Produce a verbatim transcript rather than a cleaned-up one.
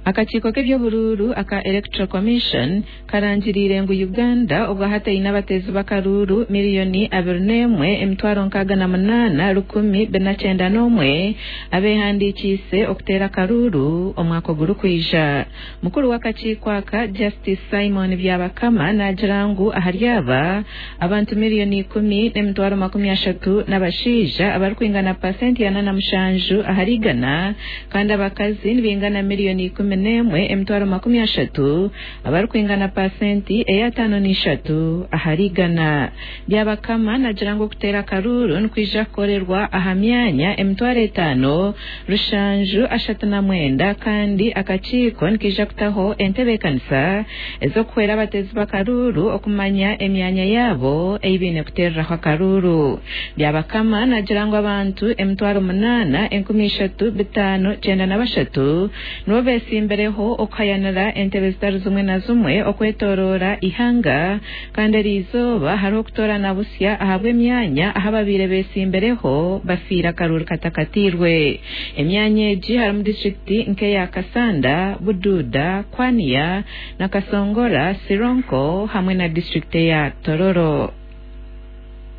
Akakiiko k'eby'oburuuru aka Electoral Commission karangiriire ngu Uganda obwahati eine abateezi b'akaruuru miliyoni abiri n'emwe emitwaro nkaaga na munaana rukumi bina kyenda n'omwe abeehandiikiise okuteera akaruuru omwaka ogurikwija. Mukuru w'akakiiko aka Justice Simon Byabakama naagira ngu ahari aba abantu miliyoni ikumi n'emitwaro makumi ashatu n'abashaija abarikwingana pasenti ana na mushanju ahari igana kandi abakazi nibaingana miliyoni ikumi n'emwe emitwaro makumi ashatu abarikwingana pasenti ey'ataano n'ishatu ahari igana. Byabakama naagira ngu okuteera akaruuru nikwija kukorerwa aha myanya emitwaro etaano rushanju ashatu na mwenda kandi akakiiko nikaija kutaho entebeekanisa ez'okuhwera abateezi b'akaruuru okumanya emyanya yaabo ei baine kuteereraho akaruuru. Byabakama naagira ngu abantu emitwaro munaana enkumi ishatu bitaano kyenda na bashatu nibo beesimbireho okuhayanira entebe zitari zimwe na zimwe okwetooroora ihanga kandi eriizooba hariho okutoorana busya ahabw'emyanya ahu ababaire beesimbireho bafiire akaruuru katakatiirwe. Emyanya egi harimu disitulikiti nk'eya Kasanda, Bududa, Kwania, Nakasongora, Sironko hamwe na disitulikiti eya Tororo.